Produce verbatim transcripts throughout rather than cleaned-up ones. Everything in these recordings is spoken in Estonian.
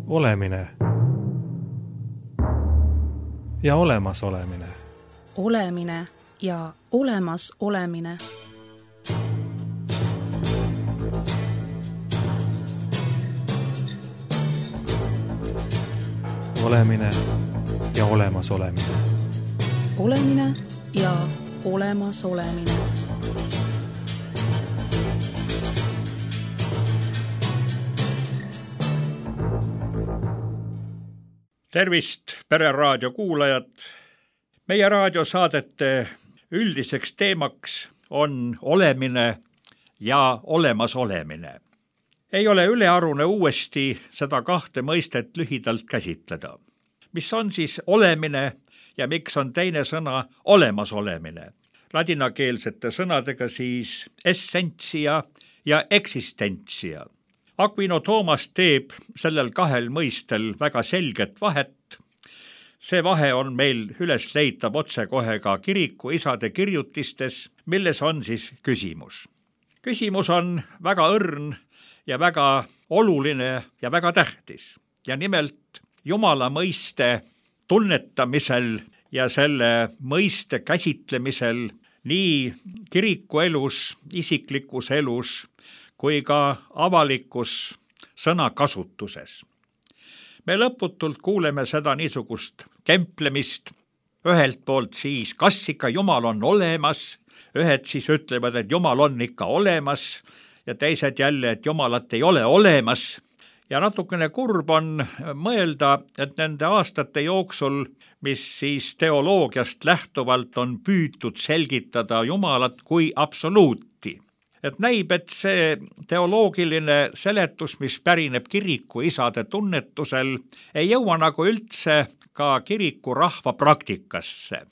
Olemine ja olemas olemine. Olemine ja olemas olemine. Olemine ja olemas olemine. Olemine ja olemas olemine. Tervist, Pereraadio kuulajad! Meie raadiosaadete üldiseks teemaks on olemine ja olemas olemine. Ei ole ülearune uuesti seda kahte mõistet lühidalt käsitleda. Mis on siis olemine ja miks on teine sõna olemas olemine? Ladinakeelsete sõnadega siis essentia ja existentia. Aquino Thomas teeb sellel kahel mõistel väga selget vahet. See vahe on meil üles leitav otsekohe ka kiriku isade kirjutistes, milles on siis küsimus. Küsimus on väga õrn ja väga oluline ja väga tähtis. Ja nimelt Jumala mõiste tunnetamisel ja selle mõiste käsitlemisel nii kiriku elus, isiklikus elus, kui ka avalikus sõnakasutuses. Me lõputult kuuleme seda niisugust kemplemist, ühelt poolt siis, kas ikka Jumal on olemas, ühed siis ütlevad, et Jumal on ikka olemas ja teised jälle, et Jumalat ei ole olemas. Ja natukene kurb on mõelda, et nende aastate jooksul, mis siis teoloogiast lähtuvalt on püütud selgitada Jumalat kui absoluuti. Et näib, et see teoloogiline seletus, mis pärineb kiriku isade tunnetusel, ei jõua nagu üldse ka kiriku rahva praktikasse.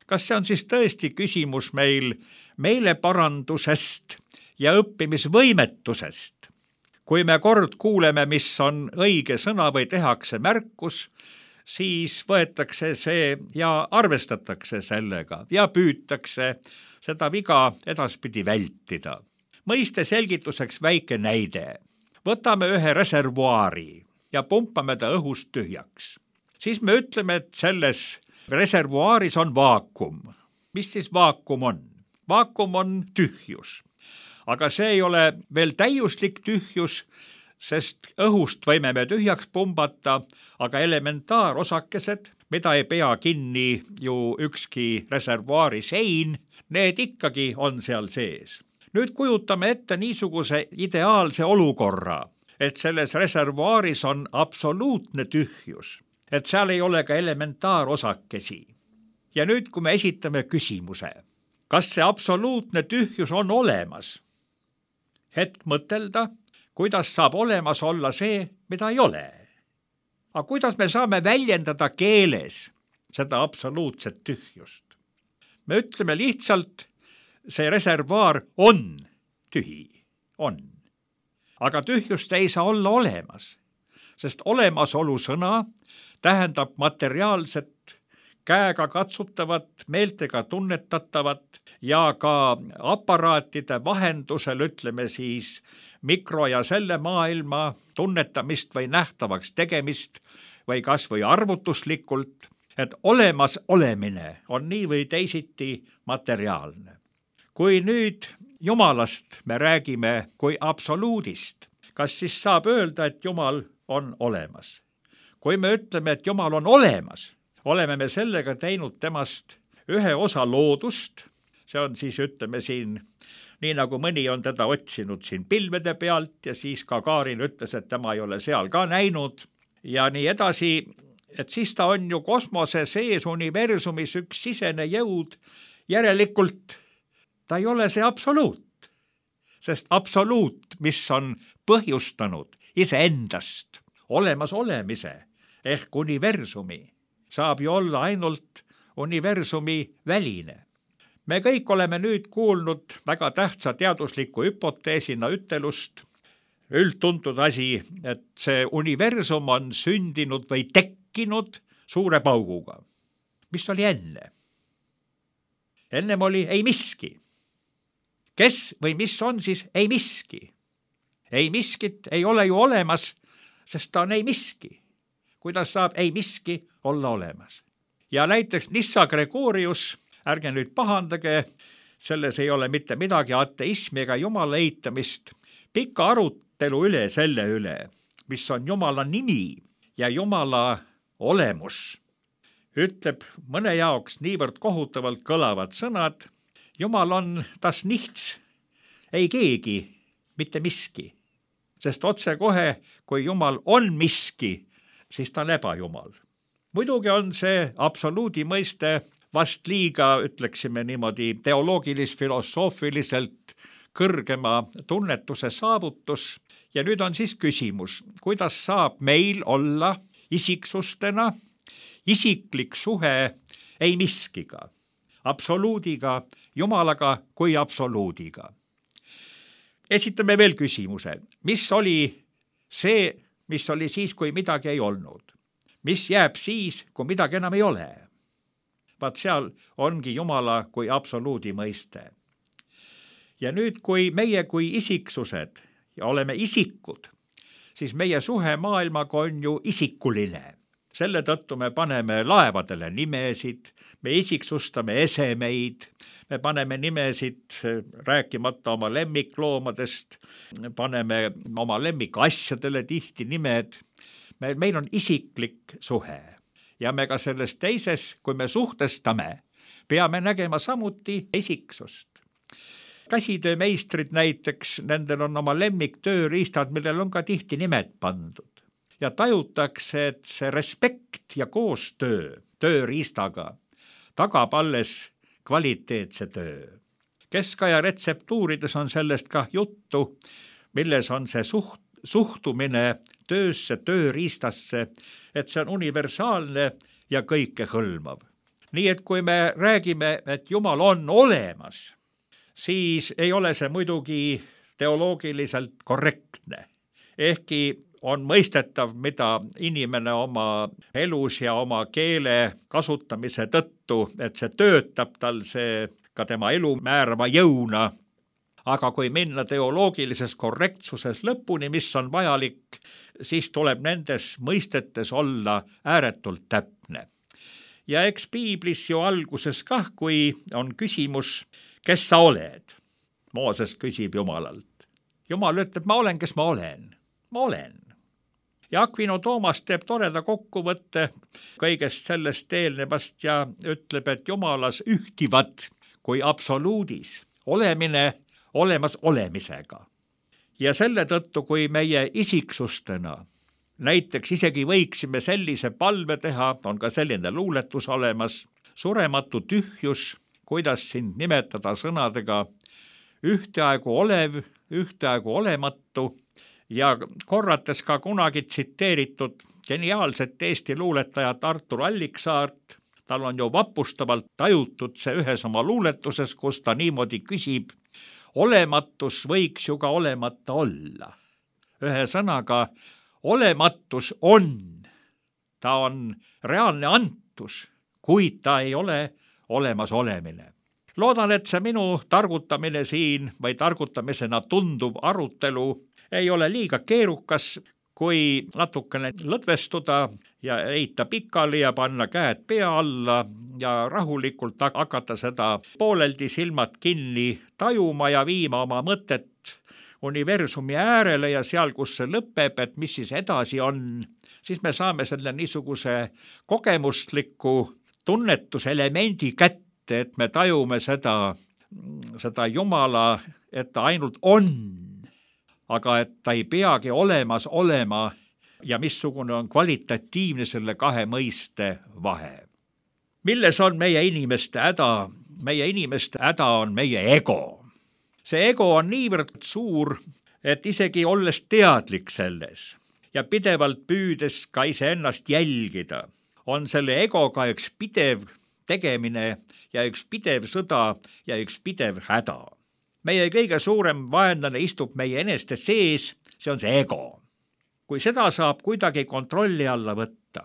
Kas see on siis tõesti küsimus meil meeleparandusest ja õppimisvõimetusest? Kui me kord kuuleme, mis on õige sõna või tehakse märkus, siis võetakse see ja arvestatakse sellega ja püütakse seda viga edaspidi vältida. Mõiste selgituseks väike näide. Võtame ühe reservuaari ja pumpame ta õhust tühjaks. Siis me ütleme, et selles reservuaaris on vaakum. Mis siis vaakum on? Vaakum on tühjus. Aga see ei ole veel täiuslik tühjus, sest õhust võime me tühjaks pumbata, aga elementaarosakesed, mida ei pea kinni ju ükski reservuaari sein, need ikkagi on seal sees. Nüüd kujutame ette niisuguse ideaalse olukorra, et selles reservuaaris on absoluutne tühjus, et seal ei ole ka elementaarosakesi. Ja nüüd, kui me esitame küsimuse, kas see absoluutne tühjus on olemas? Hetk mõtelda, kuidas saab olemas olla see, mida ei ole. Aga kuidas me saame väljendada keeles seda absoluutset tühjust? Me ütleme lihtsalt, see reservuaar on tühi, on. Aga tühjust ei saa olla olemas, sest olemasolu sõna tähendab materiaalset, käega katsutavat, meeltega tunnetatavat ja ka aparaatide vahendusel, ütleme siis, mikro- ja selle maailma tunnetamist või nähtavaks tegemist või kas või arvutuslikult, et olemas olemine on nii või teisiti materiaalne. Kui nüüd Jumalast me räägime kui absoluudist, kas siis saab öelda, et Jumal on olemas? Kui me ütleme, et Jumal on olemas, oleme me sellega teinud temast ühe osa loodust, see on siis, ütleme siin, nii nagu mõni on teda otsinud siin pilvede pealt ja siis ka Kaarin ütles, et tema ei ole seal ka näinud ja nii edasi, et siis ta on ju kosmose sees universumis üks sisene jõud, järelikult ta ei ole see absoluut, sest absoluut, mis on põhjustanud iseendast olemas olemise ehk universumi, saab ju olla ainult universumi väline. Me kõik oleme nüüd kuulnud väga tähtsa teadusliku hüpoteesina ütelust, üldtuntud asi, et see universum on sündinud või tekkinud suure pauguga. Mis oli enne? Ennem oli ei miski. Kes või mis on siis ei miski? Ei miskit ei ole ju olemas, sest ta on ei miski. kuidas saab ei miski olla olemas. Ja näiteks Nissa Gregorius, ärge nüüd pahandage, selles ei ole mitte midagi ateismi ega jumala eitamist, pika arutelu üle selle üle, mis on jumala nimi ja jumala olemus. Ütleb mõne jaoks niivõrd kohutavalt kõlavad sõnad, jumal on das nichts, ei keegi, mitte miski. Sest otse kohe, kui jumal on miski, siis ta on ebajumal. Muidugi on see absoluudi mõiste vast liiga, ütleksime niimoodi, teoloogilis-filosoofiliselt kõrgema tunnetuse saavutus. Ja nüüd on siis küsimus, kuidas saab meil olla isiksustena isiklik suhe ei miskiga, absoluudiga, jumalaga kui absoluudiga. Esitame veel küsimuse, mis oli see, mis oli siis, kui midagi ei olnud? Mis jääb siis, kui midagi enam ei ole? Vaat seal ongi jumala kui absoluudi mõiste. Ja nüüd, kui meie kui isiksused ja oleme isikud, siis meie suhe maailmaga on ju isikuline. Selle tõttu me paneme laevadele nimesid, me isiksustame esemeid, me paneme nimesid rääkimata oma lemmikloomadest, paneme oma lemmikasjadele tihti nimed. Me, meil on isiklik suhe ja me ka selles teises, kui me suhtestame, peame nägema samuti isiksust. Käsitöömeistrid näiteks, nendel on oma lemmiktööriistad, millel on ka tihti nimed pandud. Ja tajutakse, et see respekt ja koostöö tööriistaga tagab alles kvaliteetse töö. Keskaja retseptuurides on sellest ka juttu, milles on see suht, suhtumine töösse, tööriistasse, et see on universaalne ja kõike hõlmav. Nii et kui me räägime, et Jumal on olemas, siis ei ole see muidugi teoloogiliselt korrektne. Ehkki on mõistetav, mida inimene oma elus ja oma keele kasutamise tõttu, et see töötab tal see ka tema elu määrava jõuna. Aga kui minna teoloogilises korrektsuses lõpuni, mis on vajalik, siis tuleb nendes mõistetes olla ääretult täpne. Ja eks piiblis ju alguses kah, kui on küsimus, kes sa oled? Mooses küsib Jumalalt. Jumal ütleb, ma olen, kes ma olen. Ma olen. Ja Aquino Toomas teeb toreda kokkuvõtte kõigest sellest eelnevast ja ütleb, et Jumalas ühtivad kui absoluudis olemine olemas olemisega. Ja selle tõttu, kui meie isiksustena näiteks isegi võiksime sellise palve teha, on ka selline luuletus olemas, surematu tühjus, kuidas sind nimetada sõnadega ühteaegu olev, ühteaegu olematu, ja korrates ka kunagi tsiteeritud geniaalset Eesti luuletajat Artur Alliksaart, tal on ju vapustavalt tajutud see ühes oma luuletuses, kus ta niimoodi küsib, olematus võiks ju ka olemata olla. Ühe sõnaga, olematus on, ta on reaalne antus, kuid ta ei ole olemas olemine. Loodan, et see minu targutamine siin või targutamisena tunduv arutelu ei ole liiga keerukas, kui natukene lõdvestuda ja heita pikali ja panna käed pea alla ja rahulikult hakata seda pooleldi silmad kinni tajuma ja viima oma mõtet universumi äärele ja seal, kus see lõpeb, et mis siis edasi on, siis me saame selle niisuguse kogemusliku tunnetuselemendi kätte, et me tajume seda, seda Jumala, et ta ainult on, aga et ta ei peagi olemas olema ja missugune on kvalitatiivne selle kahe mõiste vahe. Milles on meie inimeste häda? Meie inimeste häda on meie ego. See ego on niivõrd suur, et isegi olles teadlik selles ja pidevalt püüdes ka iseennast jälgida, on selle egoga üks pidev tegemine ja üks pidev sõda ja üks pidev häda. Meie kõige suurem vaenlane istub meie eneste sees, see on see ego. Kui seda saab kuidagi kontrolli alla võtta,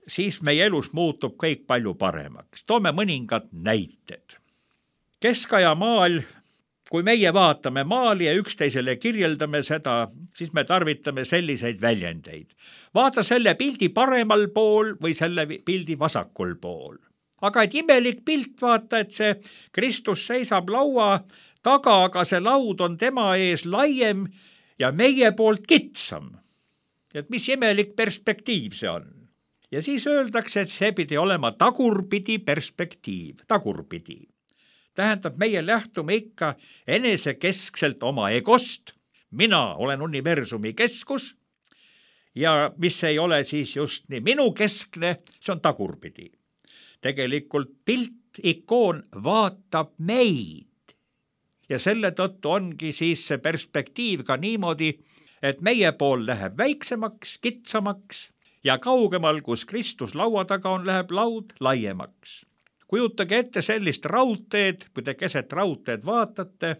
siis meie elus muutub kõik palju paremaks. Toome mõningad näited. Keskaja maal kui meie vaatame maali ja üksteisele kirjeldame seda, siis me tarvitame selliseid väljendeid. Vaata selle pildi paremal pool või selle pildi vasakul pool. Aga et imelik pilt, vaata, et see Kristus seisab laua taga, aga see laud on tema ees laiem ja meie poolt kitsam. Et mis imelik perspektiiv see on. Ja siis öeldakse, et see pidi olema tagurpidi perspektiiv, tagurpidi. Tähendab, meie lähtume ikka enesekeskselt oma egost, mina olen universumi keskus ja mis ei ole siis just nii minu keskne, see on tagurpidi. Tegelikult pilt, ikoon vaatab meid ja selle tõttu ongi siis see perspektiiv ka niimoodi, et meie pool läheb väiksemaks, kitsamaks ja kaugemal, kus Kristus laua taga on, läheb laud laiemaks. Kujutage ette sellist raudteed, kui te keset raudteed vaatate,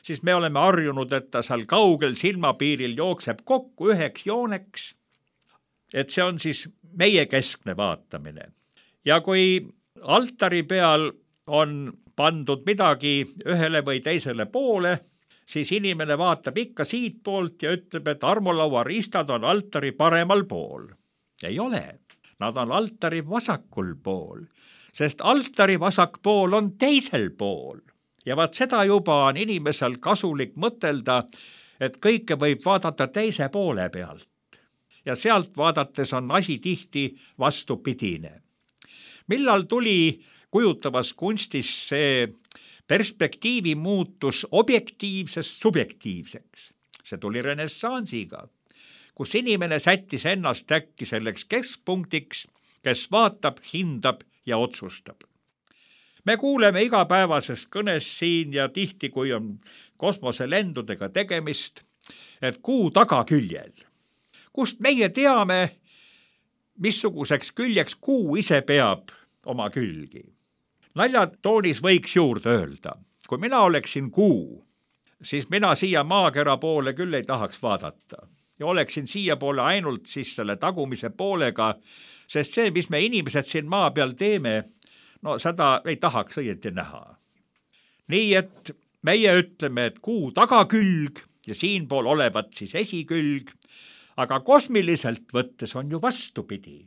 siis me oleme harjunud, et ta seal kaugel silmapiiril jookseb kokku üheks jooneks, et see on siis meie keskne vaatamine. Ja kui altari peal on pandud midagi ühele või teisele poole, siis inimene vaatab ikka siit poolt ja ütleb, et armulaua riistad on altari paremal pool. Ei ole, nad on altari vasakul pool. Sest altari vasak pool on teisel pool. Ja vaat seda juba on inimesel kasulik mõtelda, et kõike võib vaadata teise poole pealt. Ja sealt vaadates on asi tihti vastupidine. Millal tuli kujutavas kunstis see perspektiivi muutus objektiivsest subjektiivseks? See tuli renessansiga, kus inimene sättis ennast äkki selleks keskpunktiks, kes vaatab, hindab ja otsustab. Me kuuleme igapäevasest kõnes siin ja tihti, kui on kosmoselendudega tegemist, et kuu tagaküljel. Kust meie teame, missuguseks küljeks kuu ise peab oma külgi. Naljatoonis võiks juurde öelda, kui mina oleksin kuu, siis mina siia maakera poole küll ei tahaks vaadata ja oleksin siia poole ainult siis selle tagumise poolega, sest see, mis me inimesed siin maa peal teeme, no seda ei tahaks õieti näha. Nii et meie ütleme, et kuu tagakülg ja siinpool olevat siis esikülg, aga kosmiliselt võttes on ju vastupidi.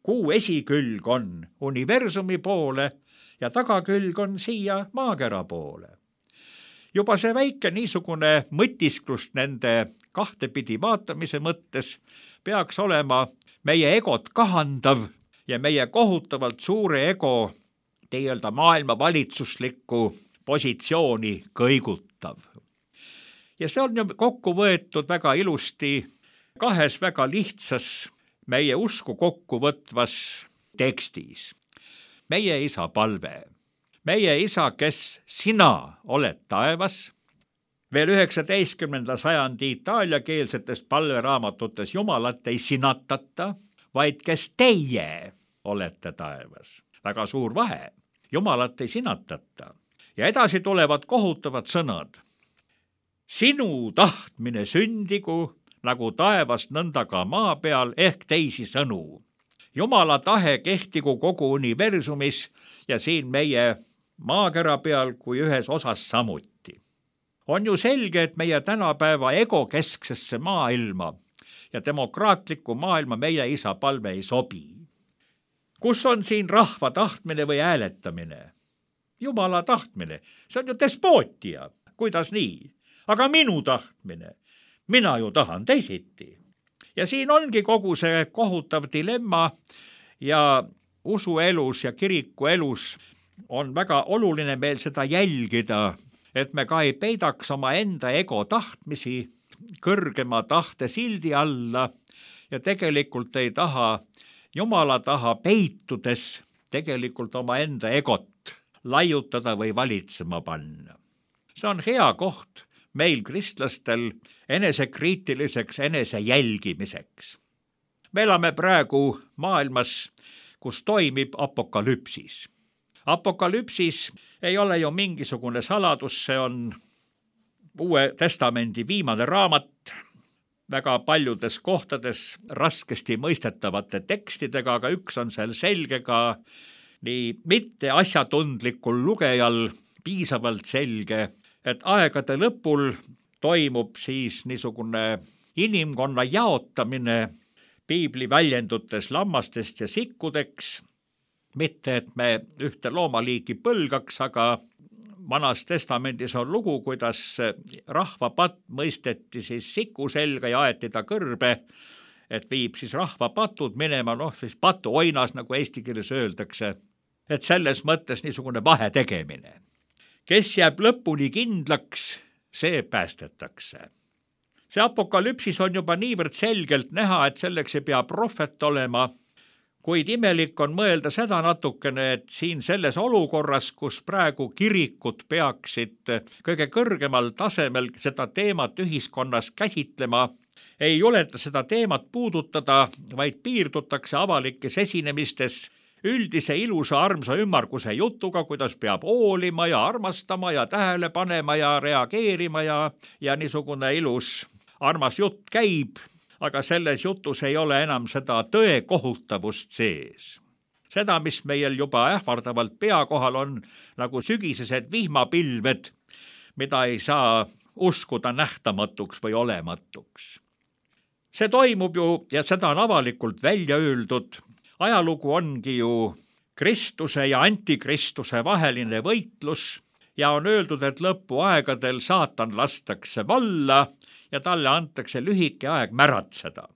Kuu esikülg on universumi poole ja tagakülg on siia maakera poole. Juba see väike niisugune mõtisklust nende kahtepidi vaatamise mõttes peaks olema meie egot kahandav ja meie kohutavalt suure ego teelda maailma valitsuslikku positsiooni kõigutav. Ja see on ju kokku võetud väga ilusti kahes väga lihtsas meie usku kokkuvõtvas tekstis. Meie isa palve. Meie isa, kes sina oled taevas. Veel üheksateistkümnenda sajandi itaaliakeelsetes palveraamatutes Jumalat ei sinatata, vaid kes teie olete taevas. Väga suur vahe. Jumalat ei sinatata. Ja edasi tulevad kohutavad sõnad. Sinu tahtmine sündigu, nagu taevas nõnda ka maa peal, ehk teisi sõnu. Jumala tahe kehtigu kogu universumis ja siin meie maakera peal kui ühes osas samuti. On ju selge, et meie tänapäeva egokesksesse maailma ja demokraatliku maailma meie isa palve ei sobi. Kus on siin rahva tahtmine või hääletamine? Jumala tahtmine, see on ju despootia, kuidas nii? Aga minu tahtmine, mina ju tahan teisiti. Ja siin ongi kogu see kohutav dilemma ja usuelus ja kirikuelus on väga oluline meil seda jälgida, et me ka ei peidaks oma enda ego tahtmisi kõrgema tahte sildi alla ja tegelikult ei taha Jumala taha peitudes tegelikult oma enda egot laiutada või valitsema panna. See on hea koht meil kristlastel enesekriitiliseks enese jälgimiseks. Me elame praegu maailmas, kus toimib apokalüpsis. Apokalüpsis ei ole ju mingisugune saladus, see on Uue Testamendi viimane raamat, väga paljudes kohtades raskesti mõistetavate tekstidega, aga üks on seal selge ka nii mitte asjatundlikul lugejal piisavalt selge, et aegade lõpul toimub siis niisugune inimkonna jaotamine piibli väljendutes lammastest ja sikkudeks, mitte et me ühte loomaliiki põlgaks, aga Vanas testamendis on lugu, kuidas rahvapatt mõisteti siis siku selga ja aeti ta kõrbe, et viib siis rahvapatud minema, noh siis patuoinas, nagu eesti keeles öeldakse, et selles mõttes niisugune vahe tegemine. Kes jääb lõpuni kindlaks, see päästetakse. See apokalüpsis on juba niivõrd selgelt näha, et selleks ei pea prohvet olema, kuid imelik on mõelda seda natukene, et siin selles olukorras, kus praegu kirikud peaksid kõige kõrgemal tasemel seda teemat ühiskonnas käsitlema, ei juleta seda teemat puudutada, vaid piirdutakse avalikes esinemistes üldise ilusa armsa ümmarguse jutuga, kuidas peab hoolima ja armastama ja tähele panema ja reageerima ja, ja niisugune ilus armas jutt käib, aga selles jutus ei ole enam seda tõe kohutavust sees. Seda, mis meil juba ähvardavalt pea kohal on, nagu sügisesed vihmapilved, mida ei saa uskuda nähtamatuks või olematuks. See toimub ju, ja seda on avalikult välja öeldud, ajalugu ongi ju Kristuse ja antikristuse vaheline võitlus ja on öeldud, et lõpuaegadel saatan lastakse valla ja talle antakse lühike aeg märatseda.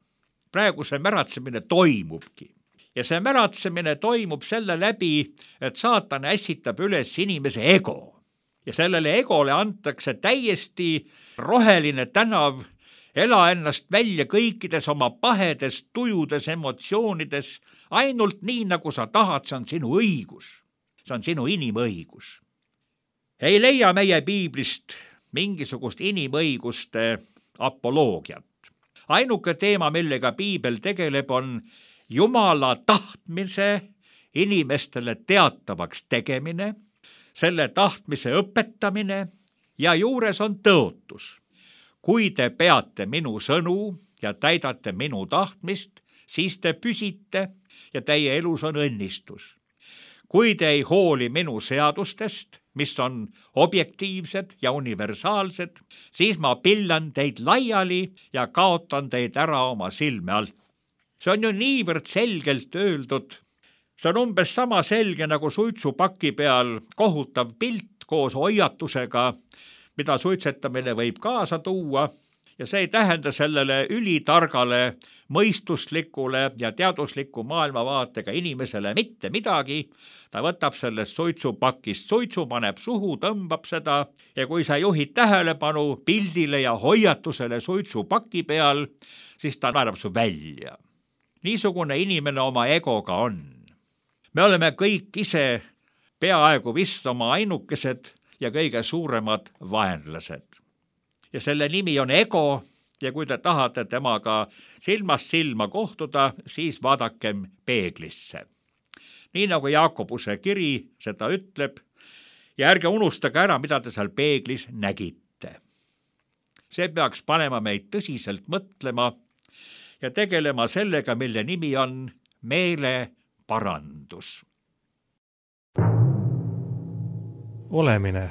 Praegu see märatsemine toimubki. Ja see märatsemine toimub selle läbi, et saatan ässitab üles inimese ego. Ja sellele egole antakse täiesti roheline tänav, ela ennast välja kõikides oma pahedes, tujudes, emotsioonides, ainult nii, nagu sa tahad, see on sinu õigus. See on sinu inimõigus. Ei leia meie piiblist mingisugust inimõiguste apoloogiat. Ainuke teema, millega piibel tegeleb, on Jumala tahtmise inimestele teatavaks tegemine, selle tahtmise õpetamine ja juures on tõotus. Kui te peate minu sõnu ja täidate minu tahtmist, siis te püsite ja teie elus on õnnistus. Kui te ei hooli minu seadustest, mis on objektiivsed ja universaalsed, siis ma pillan teid laiali ja kaotan teid ära oma silme alt. See on ju niivõrd selgelt öeldud. See on umbes sama selge nagu suitsupaki peal kohutav pilt koos hoiatusega, mida suitsetamine võib kaasa tuua, ja see ei tähenda sellele ülitargale, mõistuslikule ja teadusliku maailmavaatega inimesele mitte midagi. Ta võtab sellest suitsupakist suitsu, paneb suhu, tõmbab seda ja kui sa juhid tähelepanu pildile ja hoiatusele suitsupaki peal, siis ta naerab su välja. Niisugune inimene oma egoga on. Me oleme kõik ise peaaegu vist oma ainukesed ja kõige suuremad vaenlased. Ja selle nimi on ego ja kui te tahate temaga silmast silma kohtuda, siis vaadakem peeglisse. Nii nagu Jaakobuse kiri seda ütleb ja ärge unustage ära, mida te seal peeglis nägite. See peaks panema meid tõsiselt mõtlema ja tegelema sellega, mille nimi on meeleparandus. Olemine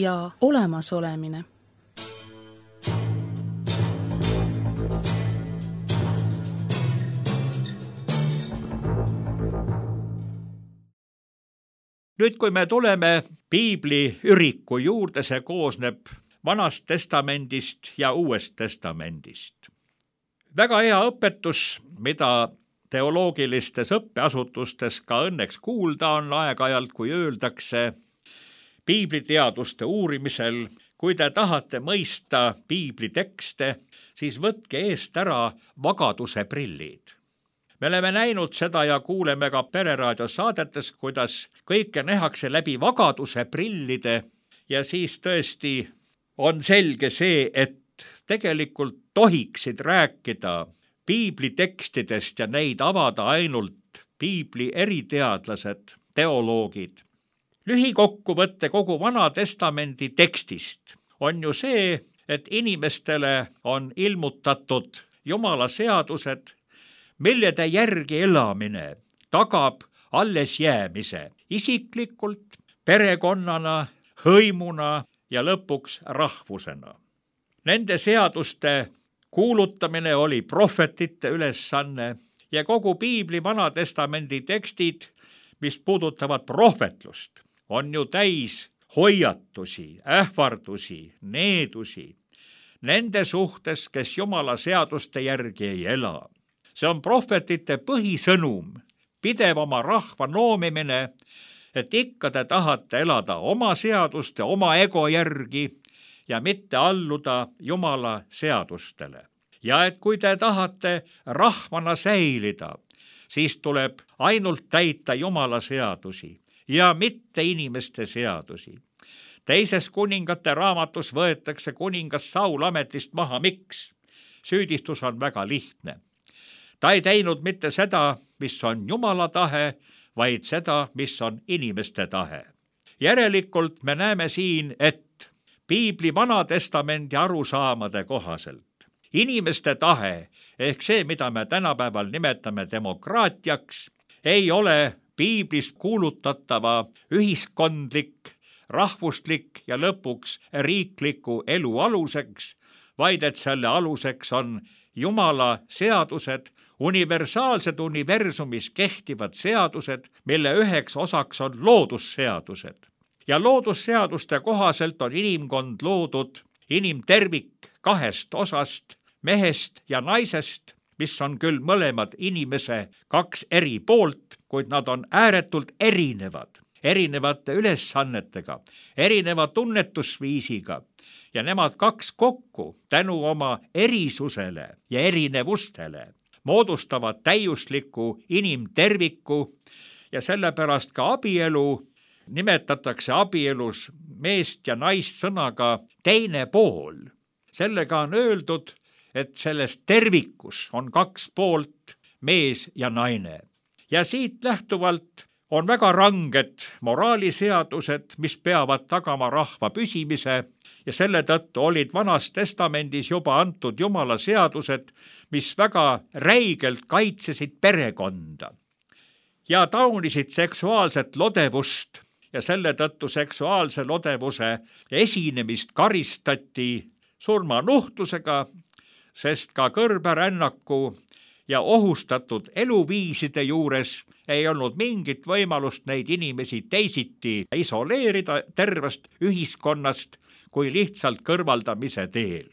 ja olemasolemine. Nüüd, kui me tuleme piibli üriku juurde, see koosneb Vanast testamendist ja Uuest testamendist. Väga hea õpetus, mida teoloogilistes õppeasutustes ka õnneks kuulda on aeg-ajalt, kui öeldakse piibliteaduste uurimisel, kui te tahate mõista piiblitekste, siis võtke eest ära vagaduse prillid. Me oleme näinud seda ja kuuleme ka Pereraadio saadetes, kuidas kõike nähakse läbi vagaduse prillide ja siis tõesti on selge see, et tegelikult tohiksid rääkida piiblitekstidest ja neid avada ainult piibli eriteadlased, teoloogid. Lühikokkuvõtte kogu Vana Testamendi tekstist on ju see, et inimestele on ilmutatud Jumala seadused, millede järgi elamine tagab alles jäämise isiklikult, perekonnana, hõimuna ja lõpuks rahvusena. Nende seaduste kuulutamine oli prohvetite ülesanne ja kogu Piibli Vanatestamendi tekstid, mis puudutavad prohvetlust, on ju täis hoiatusi, ähvardusi, needusi nende suhtes, kes Jumala seaduste järgi ei ela. See on prohvetite põhisõnum, pidev oma rahva noomimine, et ikka te tahate elada oma seaduste, oma ego järgi ja mitte alluda Jumala seadustele. Ja et kui te tahate rahvana säilida, siis tuleb ainult täita Jumala seadusi ja mitte inimeste seadusi. Teises kuningate raamatus võetakse kuningas Saul ametist maha. Miks? Süüdistus on väga lihtne. Ta ei teinud mitte seda, mis on Jumala tahe, vaid seda, mis on inimeste tahe. Järelikult me näeme siin, et Piibli Vanatestamendi arusaamade kohaselt inimeste tahe ehk see, mida me tänapäeval nimetame demokraatiaks, ei ole Piiblis kuulutatava ühiskondlik, rahvuslik ja lõpuks riikliku elu aluseks, vaid et selle aluseks on Jumala seadused, universaalsed universumis kehtivad seadused, mille üheks osaks on loodusseadused. Ja loodusseaduste kohaselt on inimkond loodud inimtervik kahest osast, mehest ja naisest, mis on küll mõlemad inimese kaks eri poolt, kuid nad on ääretult erinevad, erinevate ülesannetega, erineva tunnetusviisiga ja nemad kaks kokku tänu oma erisusele ja erinevustele moodustavad täiusliku inimterviku ja sellepärast ka abielu nimetatakse abielus meest ja naist sõnaga teine pool. Sellega on öeldud, et selles tervikus on kaks poolt, mees ja naine. Ja siit lähtuvalt on väga ranged moraaliseadused, mis peavad tagama rahva püsimise ja selle tõttu olid Vanas Testamendis juba antud Jumala seadused, mis väga räigelt kaitsesid perekonda ja taunisid seksuaalset lodevust ja selle tõttu seksuaalse lodevuse esinemist karistati surmanuhtlusega, sest ka kõrberännaku ja ohustatud eluviiside juures ei olnud mingit võimalust neid inimesi teisiti isoleerida tervest ühiskonnast kui lihtsalt kõrvaldamise teel.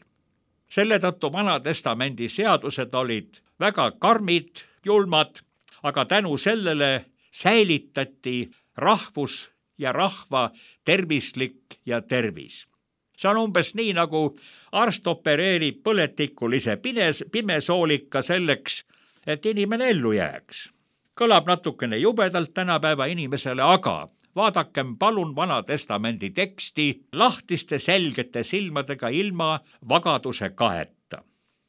Selle tõttu Vanatestamendi seadused olid väga karmid, julmad, aga tänu sellele säilitati rahvus ja rahva tervislik ja tervis. See on umbes nii, nagu arst opereerib põletikulise pimesoolika selleks, et inimene ellu jääks. Kõlab natukene jubedalt tänapäeva inimesele, aga vaadakem palun Vanatestamendi teksti lahtiste selgete silmadega ilma vagaduse kaeta.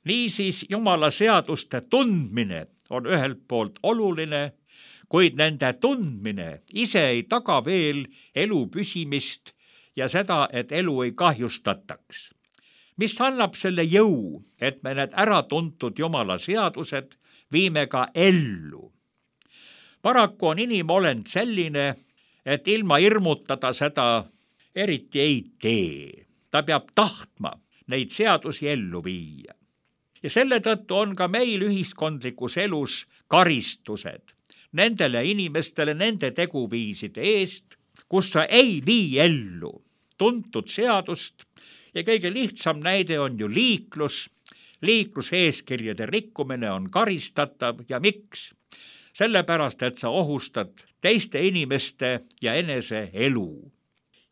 Niisiis Jumala seaduste tundmine on ühelt poolt oluline, kuid nende tundmine ise ei taga veel elu püsimist ja seda, et elu ei kahjustataks. Mis annab selle jõu, et me need äratuntud Jumala seadused viime ka ellu. Paraku on inimolend selline, et ilma hirmutada seda eriti ei tee. Ta peab tahtma neid seadusi ellu viia. Ja selle tõttu on ka meil ühiskondlikus elus karistused nendele inimestele nende teguviiside eest, kus sa ei vii ellu tuntud seadust ja kõige lihtsam näide on ju liiklus. Liikluseeskirjade rikkumine on karistatav ja miks? Sellepärast, et sa ohustad teiste inimeste ja enese elu.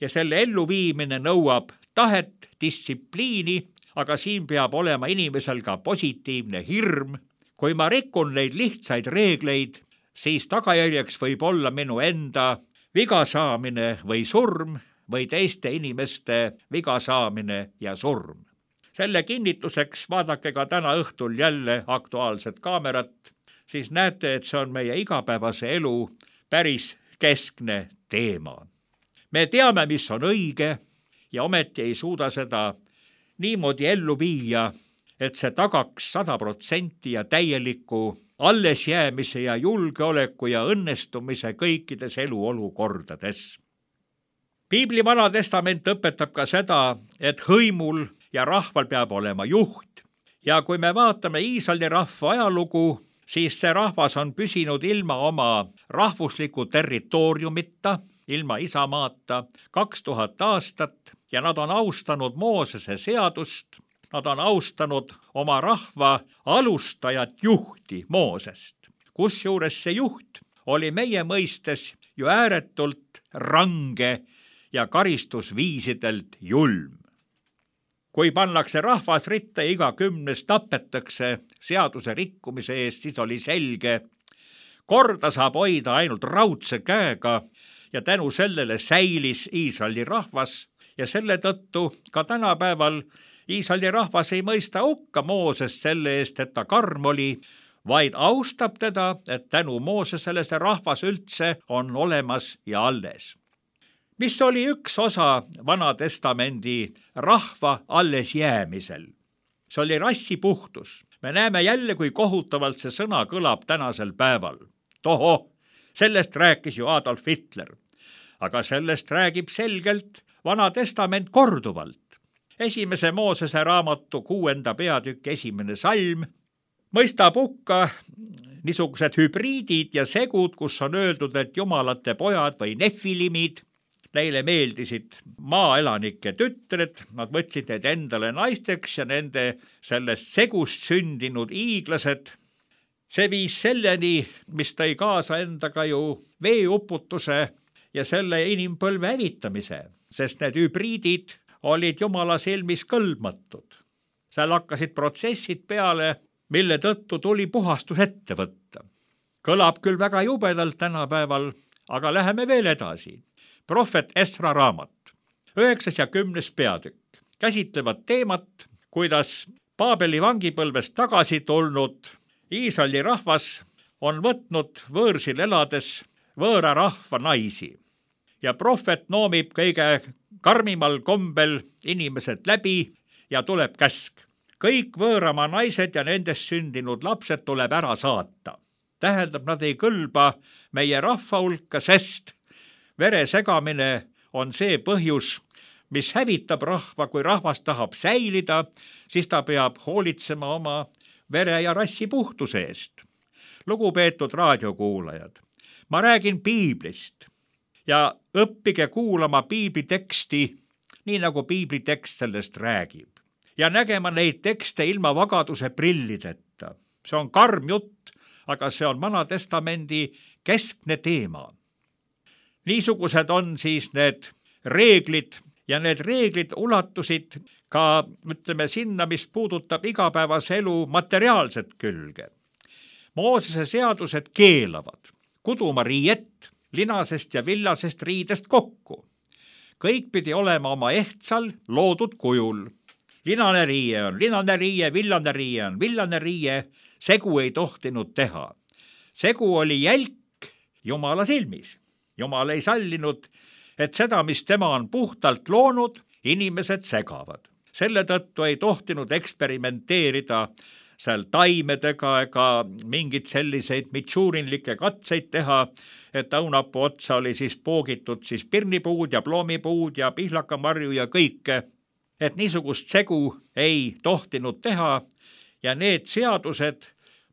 Ja selle elluviimine nõuab tahet, distsipliini, aga siin peab olema inimesel ka positiivne hirm. Kui ma rikun neid lihtsaid reegleid, siis tagajärjeks võib olla minu enda vigasaamine või surm või teiste inimeste vigasaamine ja surm. Selle kinnituseks vaadake ka täna õhtul jälle Aktuaalset kaamerat, siis näete, et see on meie igapäevase elu päris keskne teema. Me teame, mis on õige ja ometi ei suuda seda niimoodi ellu viia, et see tagaks sada protsenti ja täieliku allesjäämise ja julgeoleku ja õnnestumise kõikides eluolukordades. Piibli Vana Testament õpetab ka seda, et hõimul ja rahval peab olema juht. Ja kui me vaatame Iisraeli rahva ajalugu, siis see rahvas on püsinud ilma oma rahvusliku territooriumita, ilma isamaata kaks tuhat aastat ja nad on austanud Moosese seadust, nad on austanud oma rahva alustajat juhti Moosest, kusjuures see juht oli meie mõistes ju ääretult range ja karistusviisidelt julm. Kui pannakse rahvas ritta ja iga kümnes tapetakse seaduse rikkumise eest, siis oli selge, korda saab hoida ainult raudse käega ja tänu sellele säilis Iisraeli rahvas ja selle tõttu ka tänapäeval Iisraeli rahvas ei mõista hukka Moosest selle eest, et ta karm oli, vaid austab teda, et tänu Moosesele see rahvas üldse on olemas ja alles. Mis oli üks osa Vana Testamendi rahva alles jäämisel? See oli rassipuhtus. Me näeme jälle, kui kohutavalt see sõna kõlab tänasel päeval. Toho, sellest rääkis ju Adolf Hitler. Aga sellest räägib selgelt Vana Testament korduvalt. Esimese Moosese raamatu kuuenda peatükk esimene salm mõistab hukka niisugused hübriidid ja segud, kus on öeldud, et jumalate pojad või nefilimid, neile meeldisid maaelanike tütred, nad võtsid need endale naisteks ja nende sellest segust sündinud iiglased. See viis selleni, mis tõi kaasa endaga ju veeuputuse ja selle inimpõlve hävitamise, sest need hübriidid olid jumala silmis kõlbmatud. Seal hakkasid protsessid peale, mille tõttu tuli puhastus ette võtta. Kõlab küll väga jubedalt tänapäeval, aga läheme veel edasi. Prohvet Esra raamat, üheksas ja kümnes peatükk, käsitlevad teemat, kuidas Paabeli vangipõlvest tagasi tulnud Iisraeli rahvas on võtnud võõrsil elades võõra rahva naisi. Ja prohvet noomib kõige karmimal kombel inimesed läbi ja tuleb käsk. Kõik võõrama naised ja nendest sündinud lapsed tuleb ära saata. Tähendab, nad ei kõlba meie rahva hulka, sest vere segamine on see põhjus, mis hävitab rahva. Kui rahvas tahab säilida, siis ta peab hoolitsema oma vere ja rassi puhtuse eest. Lugupeetud raadiokuulajad, ma räägin piiblist ja õppige kuulama piibliteksti, nii nagu piiblitekst sellest räägib. Ja nägema neid tekste ilma vagaduse prillideta. See on karm jutt, aga see on Vana Testamendi keskne teema. Niisugused on siis need reeglid ja need reeglid ulatusid ka, ütleme, sinna, mis puudutab igapäevase elu materiaalset külge. Moosese seadused keelavad kuduma riiet linasest ja villasest riidest kokku. Kõik pidi olema oma ehtsal loodud kujul. Linane riie on linane riie, villane riie on villane riie, segu ei tohtinud teha. Segu oli jälk Jumala silmis. Jumal ei sallinud, et seda, mis tema on puhtalt loonud, inimesed segavad. Selle tõttu ei tohtinud eksperimenteerida seal taimedega ega mingid selliseid mitšuurinlikke katseid teha, et õunapuu otsa oli siis poogitud siis pirnipuud ja ploomipuud ja pihlakamarju ja kõike. Et niisugust segu ei tohtinud teha ja need seadused,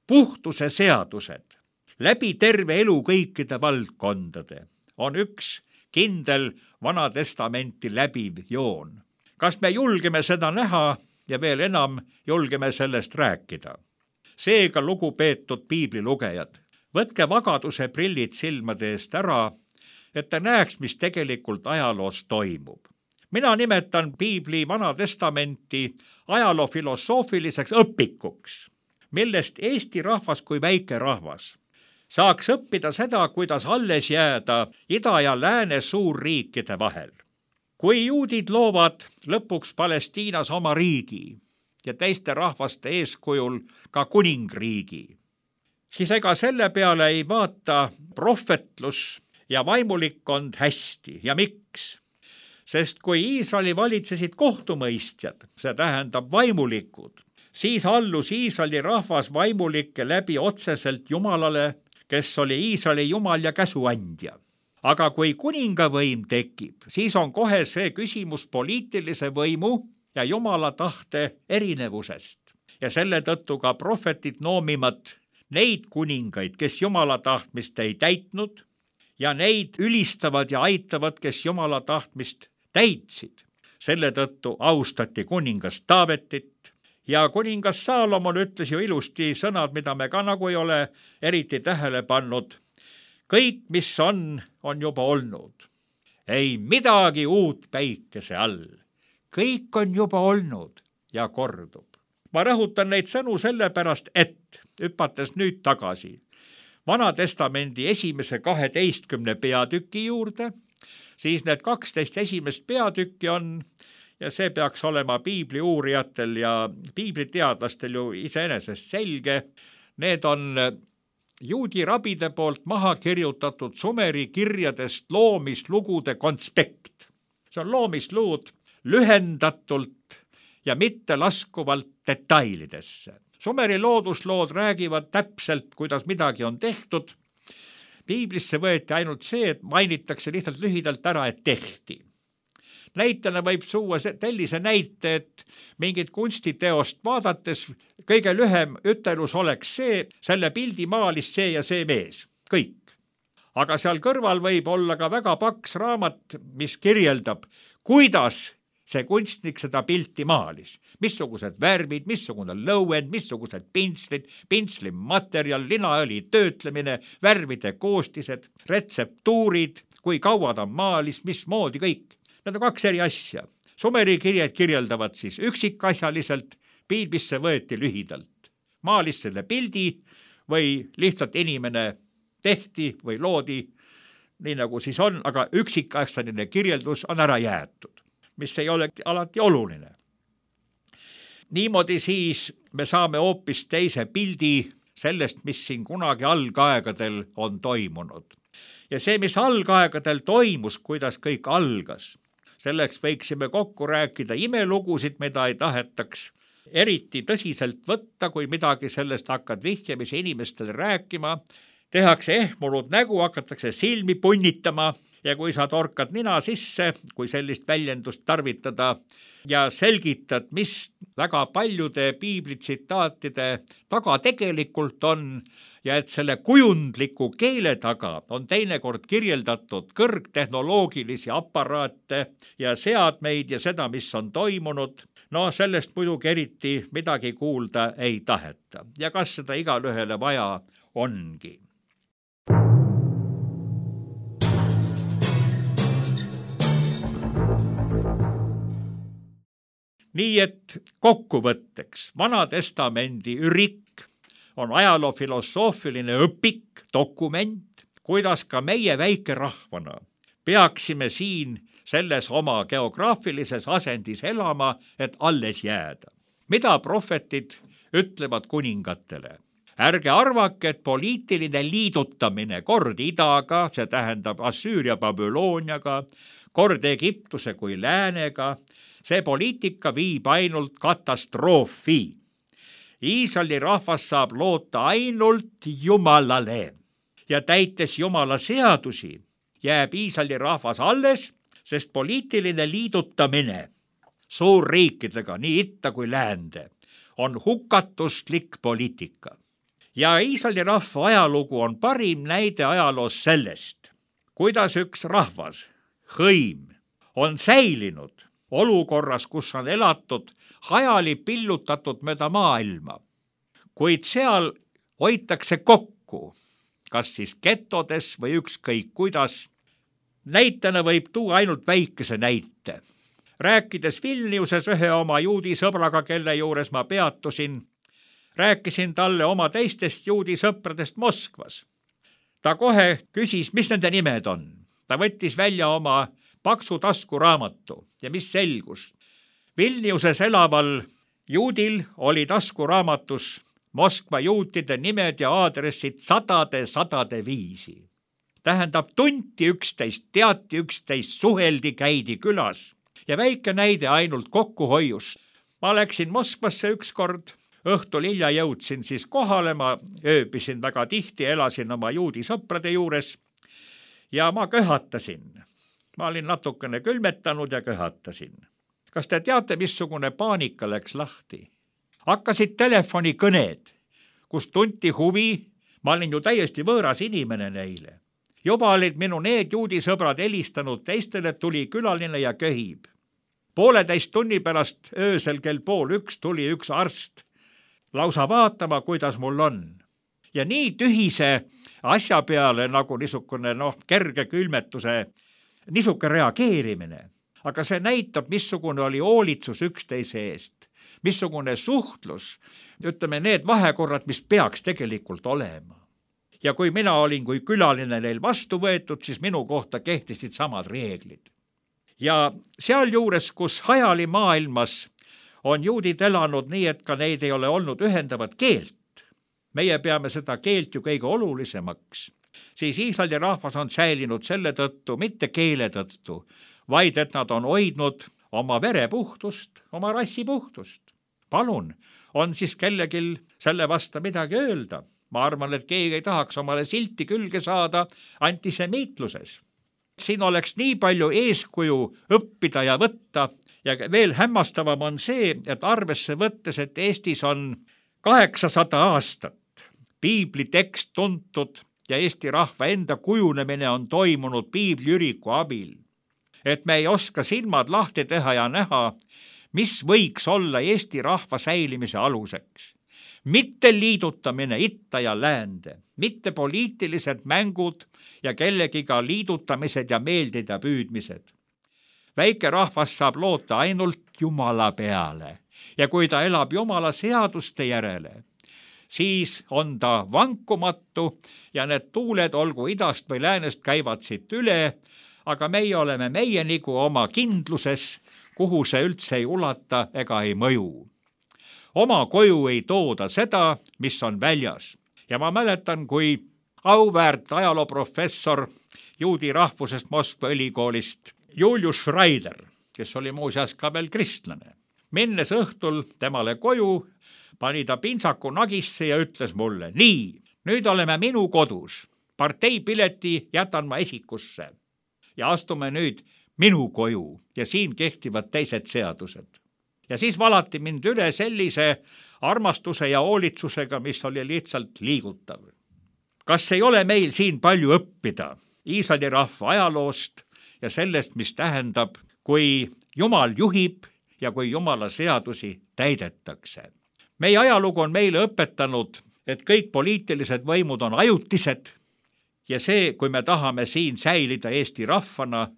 puhtuse seadused, läbi terve elu kõikide valdkondade on üks kindel Vana Testamenti läbiv joon. Kas me julgeme seda näha ja veel enam julgeme sellest rääkida? Seega, lugupeetud piiblilugejad, võtke vagaduse prillid silmade eest ära, et te näeks, mis tegelikult ajaloos toimub. Mina nimetan piibli Vana Testamenti ajaloo filosoofiliseks õpikuks, millest Eesti rahvas kui väike rahvas saaks õppida seda, kuidas alles jääda ida ja lääne suurriikide vahel. Kui juudid loovad lõpuks Palestiinas oma riigi ja teiste rahvaste eeskujul ka kuningriigi, siis ega selle peale ei vaata prohvetlus ja vaimulikkond hästi. Ja miks? Sest kui Iisraeli valitsesid kohtumõistjad, see tähendab vaimulikud, siis allus Iisraeli rahvas vaimulike läbi otseselt Jumalale, kes oli Iisraeli Jumal ja käsuandja. aga kui kuningavõim tekib, siis on kohe see küsimus poliitilise võimu ja Jumala tahte erinevusest. Ja selle tõttu ka prohvetid noomivad neid kuningaid, kes Jumala tahtmist ei täitnud, ja neid ülistavad ja aitavad, kes Jumala tahtmist täitsid. Selle tõttu austati kuningas Taavetit ja kuningas Saalomon ütles ju ilusti sõnad, mida me ka nagu ei ole eriti tähele pannud. Kõik, mis on, on juba olnud. Ei midagi uut päikese all. Kõik on juba olnud ja kordub. Ma rõhutan neid sõnu sellepärast, et hüpates nüüd tagasi Vana Testamendi esimese kaheteistkümne peatüki juurde, siis need kaksteist esimest peatükki on, ja see peaks olema piibli uurijatel ja piibliteadlastel ju iseenesest selge, need on juudi rabide poolt maha kirjutatud Sumeri kirjadest loomislugude konspekt. See on loomisluud lühendatult ja mitte laskuvalt detailidesse. Sumeri looduslood räägivad täpselt, kuidas midagi on tehtud. Piiblisse võeti ainult see, et mainitakse lihtsalt lühidalt ära, et tehti. Näitena võib suua sellise näite, et mingit kunstiteost vaadates kõige lühem ütelus oleks see, selle pildi maalis see ja see mees. Kõik. Aga seal kõrval võib olla ka väga paks raamat, mis kirjeldab, kuidas see kunstnik seda pilti maalis. Missugused värvid, missugune lõuend, missugused pintslid, pintsli materjal, linaõli töötlemine, värvide koostised, retseptuurid, kui kaua ta maalis, mismoodi kõik. Need on kaks eri asja. Sumeri kirjad kirjeldavad siis üksikasjaliselt, piiblisse võeti lühidalt. Maalis selle pildi või lihtsalt inimene tehti või loodi, nii nagu siis on, aga üksikasjaline kirjeldus on ära jäetud, mis ei ole alati oluline. Niimoodi siis me saame hoopis teise pildi sellest, mis siin kunagi algaegadel on toimunud. Ja see, mis algaegadel toimus, kuidas kõik algas, selleks võiksime kokku rääkida imelugusid, mida ei tahetaks eriti tõsiselt võtta, kui midagi sellest hakkad vihjamise inimestele rääkima, tehakse ehmunud nägu, hakatakse silmi punnitama ja kui sa torkad nina sisse, kui sellist väljendust tarvitada ja selgitad, mis väga paljude piiblitsitaatide taga tegelikult on ja et selle kujundliku keele taga on teinekord kirjeldatud kõrgtehnoloogilisi aparaate ja seadmeid ja seda, mis on toimunud, no sellest muidugi eriti midagi kuulda ei taheta. Ja kas seda igalühele vaja ongi? Nii et kokkuvõtteks Vana Testamendi ürik on ajaloofilosoofiline õpik, dokument, kuidas ka meie väike rahvana peaksime siin selles oma geograafilises asendis elama, et alles jääda. Mida prohvetid ütlevad kuningatele? Ärge arvake, et poliitiline liidutamine kord idaga, see tähendab Assüüria Babyloniaga, kord Egiptuse kui läänega, see poliitika viib ainult katastroofi. Iisraeli rahvas saab loota ainult Jumalale ja täites Jumala seadusi jääb Iisraeli rahvas alles, sest poliitiline liidutamine suurriikidega, nii itta kui läände, on hukatuslik poliitika. Ja Iisraeli rahva ajalugu on parim näide ajaloos sellest, kuidas üks rahvas, hõim, on säilinud olukorras, kus on elatud hajali pillutatud mööda maailma, kuid seal hoitakse kokku, kas siis getodes või ükskõik kuidas. Näitena võib tuua ainult väikese näite. Rääkides Vilniuses ühe oma juudi sõbraga, kelle juures ma peatusin, rääkisin talle oma teistest juudi sõpradest Moskvas. Ta kohe küsis, mis nende nimed on. Ta võttis välja oma paksu taskuraamatu ja mis selgus. Vilniuses elaval juudil oli taskuraamatus Moskva juutide nimed ja aadressid sadade, sadade viisi. Tähendab, tunti üksteist, teati üksteist, suheldi, käidi külas ja väike näide ainult kokkuhoiust. Ma läksin Moskvasse ükskord, õhtul hilja jõudsin siis kohale, ma ööbisin väga tihti, elasin oma juudi sõprade juures ja ma köhatasin. Ma olin natukene külmetanud ja köhatasin. Kas te teate, missugune paanika läks lahti? Hakkasid telefonikõned, kus tunti huvi, ma olin ju täiesti võõras inimene neile. Juba olid minu need juudisõbrad helistanud teistele, tuli külaline ja köhib. Pooleteist tunni pärast öösel kell pool üks tuli üks arst lausa vaatama, kuidas mul on. Ja nii tühise asja peale nagu niisugune noh, kerge külmetuse, niisuke reageerimine. Aga see näitab, missugune oli hoolitsus üksteise eest, missugune suhtlus, ütleme need vahekorrad, mis peaks tegelikult olema. Ja kui mina olin kui külaline neil vastu võetud, siis minu kohta kehtisid samad reeglid. Ja sealjuures, kus hajali maailmas on juudid elanud nii, et ka neid ei ole olnud ühendavat keelt, meie peame seda keelt ju kõige olulisemaks, siis Iisraeli rahvas on säilinud selle tõttu, mitte keele tõttu, vaid et nad on hoidnud oma verepuhtust, oma rassipuhtust. Palun, on siis kellelgi selle vasta midagi öelda? Ma arvan, et keegi ei tahaks omale silti külge saada antisemiitluses. Siin oleks nii palju eeskuju õppida ja võtta ja veel hämmastavam on see, et arvesse võttes, et Eestis on kaheksasada aastat piibli tekst tuntud ja Eesti rahva enda kujunemine on toimunud piibliüriku abil. Et me ei oska silmad lahti teha ja näha, mis võiks olla Eesti rahva säilimise aluseks. Mitte liidutamine itta ja läände, mitte poliitilised mängud ja kellegiga liidutamised ja meeldida püüdmised. Väike rahvas saab loota ainult Jumala peale ja kui ta elab Jumala seaduste järele, siis on ta vankumatu ja need tuuled olgu idast või läänest käivad siit üle, aga meie oleme meie nagu oma kindluses, kuhu see üldse ei ulata ega ei mõju. Oma koju ei tooda seda, mis on väljas. Ja ma mäletan, kui auväärt ajalooprofessor juudi rahvusest Moskva ülikoolist Julius Schreider, kes oli muuseas ka veel kristlane, minnes õhtul temale koju, pani ta pintsaku nagisse ja ütles mulle, nii, nüüd oleme minu kodus, parteipileti jätan ma esikusse ja astume nüüd minu koju ja siin kehtivad teised seadused. Ja siis valati mind üle sellise armastuse ja hoolitsusega, mis oli lihtsalt liigutav. Kas ei ole meil siin palju õppida Iisraeli rahva ajaloost ja sellest, mis tähendab, kui Jumal juhib ja kui Jumala seadusi täidetakse? Meie ajalugu on meile õpetanud, et kõik poliitilised võimud on ajutised ja see, kui me tahame siin säilida Eesti rahvana,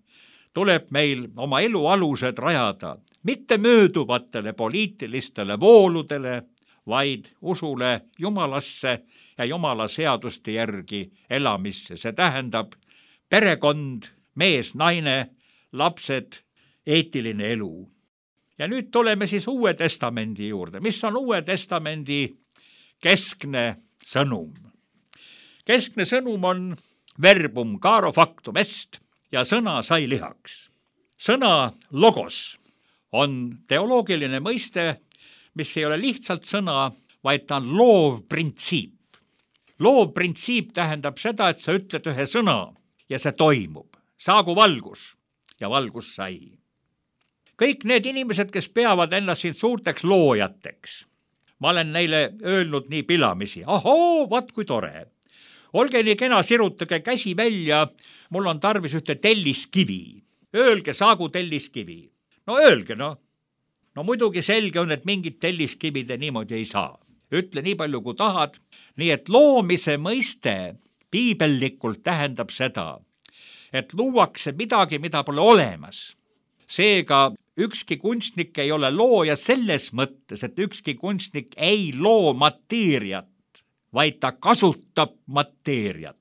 tuleb meil oma elu alused rajada mitte mööduvatele poliitilistele vooludele, vaid usule Jumalasse ja Jumala seaduste järgi elamisse. See tähendab perekond, mees, naine, lapsed, eetiline elu. Ja nüüd tuleme siis Uue Testamendi juurde. Mis on Uue Testamendi keskne sõnum? Keskne sõnum on verbum caro factum est ja sõna sai lihaks. Sõna logos on teoloogiline mõiste, mis ei ole lihtsalt sõna, vaid ta on loov printsiip. Loov printsiip tähendab seda, et sa ütled ühe sõna ja see toimub. Saagu valgus ja valgus sai. Kõik need inimesed, kes peavad ennast siin suurteks loojateks, ma olen neile öelnud nii pilamisi, ahoo, vaat kui tore. Olge nii kena, sirutage käsi välja, mul on tarvis ühte telliskivi. Öelge, saagu telliskivi. No öelge, no. No muidugi selge on, et mingit telliskivide niimoodi ei saa. Ütle nii palju, kui tahad. Nii et loomise mõiste piibellikult tähendab seda, et luuakse midagi, mida pole olemas. Seega ükski kunstnik ei ole looja selles mõttes, et ükski kunstnik ei loo mateeriat, vaid ta kasutab mateeriat.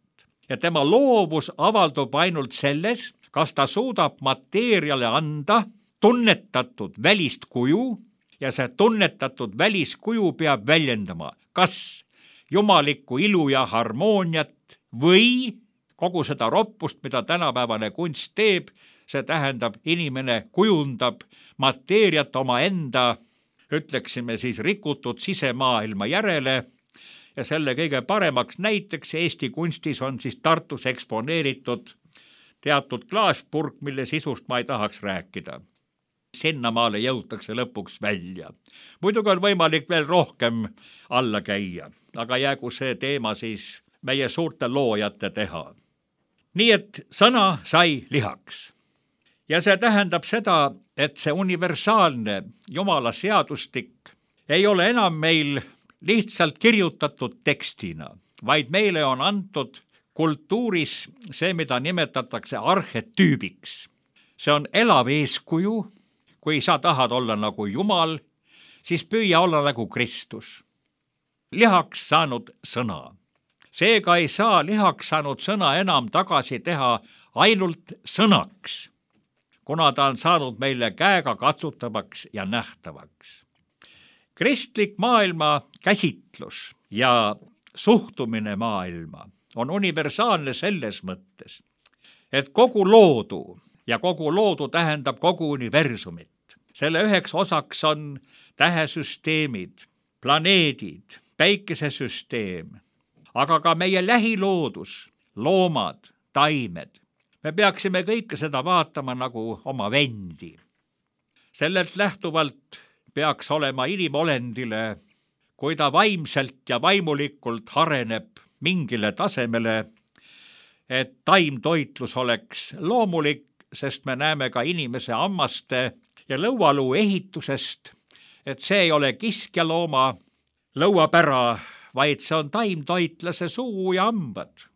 Ja tema loovus avaldub ainult selles, kas ta suudab mateeriale anda tunnetatud välist kuju ja see tunnetatud väliskuju peab väljendama kas jumalikku ilu ja harmooniat või kogu seda roppust, mida tänapäevane kunst teeb, see tähendab, inimene kujundab mateeriat oma enda, ütleksime siis rikutud sisemaailma järele ja selle kõige paremaks näiteks Eesti kunstis on siis Tartus eksponeeritud teatud klaaspurk, mille sisust ma ei tahaks rääkida. Sinnamaale jõutakse lõpuks välja. Muidugi on võimalik veel rohkem alla käia, aga jäägu see teema siis meie suurte loojate teha. Nii et sõna sai lihaks. Ja see tähendab seda, et see universaalne Jumala seadustik ei ole enam meil lihtsalt kirjutatud tekstina, vaid meile on antud kultuuris see, mida nimetatakse arhetüübiks. See on elav eeskuju. Kui sa tahad olla nagu Jumal, siis püüa olla nagu Kristus. Lihaks saanud sõna. Seega ei saa lihaks saanud sõna enam tagasi teha ainult sõnaks, kuna ta on saanud meile käega katsutavaks ja nähtavaks. Kristlik maailma käsitlus ja suhtumine maailma on universaalne selles mõttes, et kogu loodu ja kogu loodu tähendab kogu universumit. Selle üheks osaks on tähesüsteemid, planeedid, päikesesüsteem, aga ka meie lähiloodus, loomad, taimed. Me peaksime kõike seda vaatama nagu oma vendi. Sellelt lähtuvalt peaks olema inimolendile, kui ta vaimselt ja vaimulikult hareneb mingile tasemele, et taimtoitlus oleks loomulik, sest me näeme ka inimese hammaste ja lõualuu ehitusest, et see ei ole kiskjalooma lõuapära, vaid see on taimtoitlase suu ja hambad.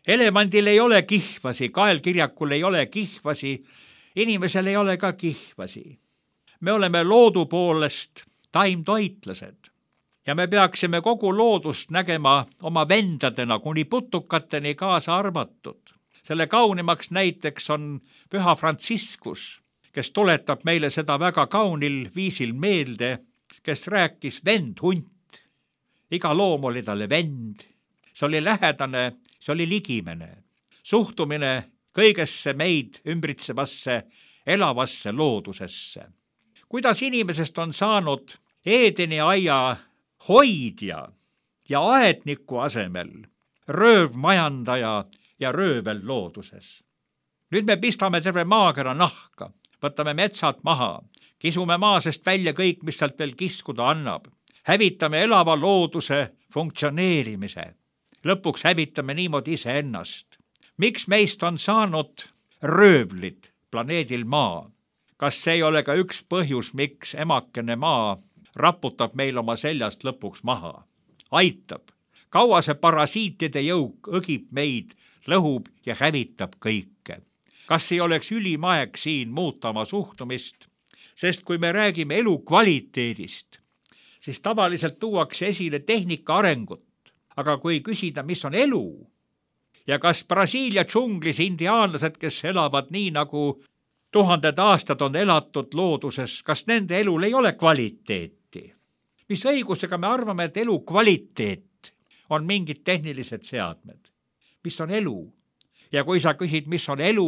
Elevandil ei ole kihvasi, kaelkirjakul ei ole kihvasi, inimesel ei ole ka kihvasi. Me oleme loodu poolest taimtoitlased ja me peaksime kogu loodust nägema oma vendadena kuni putukateni kaasa arvatud. Selle kaunimaks näiteks on Püha Franciscus, kes tuletab meile seda väga kaunil viisil meelde, kes rääkis vend-hunt. Iga loom oli talle vend, see oli lähedane, see oli ligimene. Suhtumine kõigesse meid ümbritsevasse, elavasse loodusesse. Kuidas inimesest on saanud Eedeni aia hoidja ja aedniku asemel röövmajandaja ja röövel looduses. Nüüd me pistame terve maakera nahka, võtame metsad maha, kisume maasest välja kõik, mis sealt veel kiskuda annab. Hävitame elava looduse funktsioneerimise. Lõpuks hävitame niimoodi iseennast. Miks meist on saanud röövlid planeedil Maa? Kas see ei ole ka üks põhjus, miks emakene Maa raputab meil oma seljast lõpuks maha? Aitab. Kaua see parasiitide jõuk õgib meid, lõhub ja hävitab kõike. Kas ei oleks ülim aeg siin muuta oma suhtumist? Sest kui me räägime elu kvaliteedist, siis tavaliselt tuuakse esile tehnika arengut. Aga kui küsida, mis on elu ja kas Brasiilia džunglis indiaanlased, kes elavad nii nagu tuhanded aastad on elatud looduses, kas nende elul ei ole kvaliteeti? Mis õigusega me arvame, et elu kvaliteet on mingid tehnilised seadmed? Mis on elu? Ja kui sa küsid, mis on elu,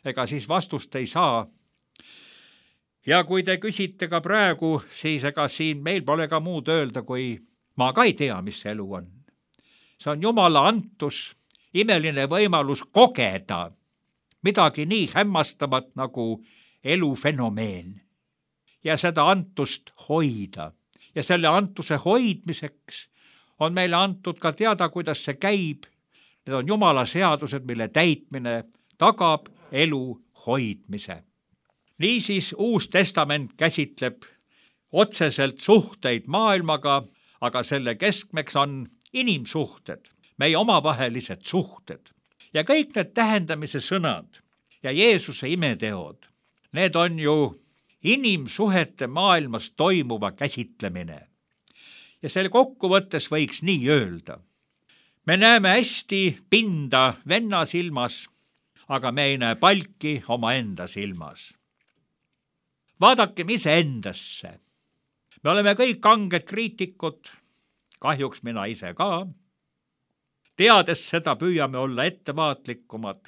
ega siis vastust ei saa. Ja kui te küsite ka praegu, siis ega siin meil pole ka muud öelda, kui ma ka ei tea, mis see elu on. See on Jumala antus, imeline võimalus kogeda midagi nii hämmastavat nagu elufenomeen ja seda antust hoida. Ja selle antuse hoidmiseks on meile antud ka teada, kuidas see käib. Need on Jumala seadused, mille täitmine tagab elu hoidmise. Niisiis Uus Testament käsitleb otseselt suhteid maailmaga, aga selle keskmeks on inimsuhted, meie omavahelised suhted. Ja kõik need tähendamise sõnad ja Jeesuse imeteod, need on ju inimsuhete maailmas toimuva käsitlemine. Ja selle kokkuvõttes võiks nii öelda. Me näeme hästi pinda venna silmas, aga me ei näe palki oma enda silmas. Vaadakem ise endasse. Me oleme kõik kanged kriitikud, kahjuks mina ise ka. Teades seda püüame olla ettevaatlikumad.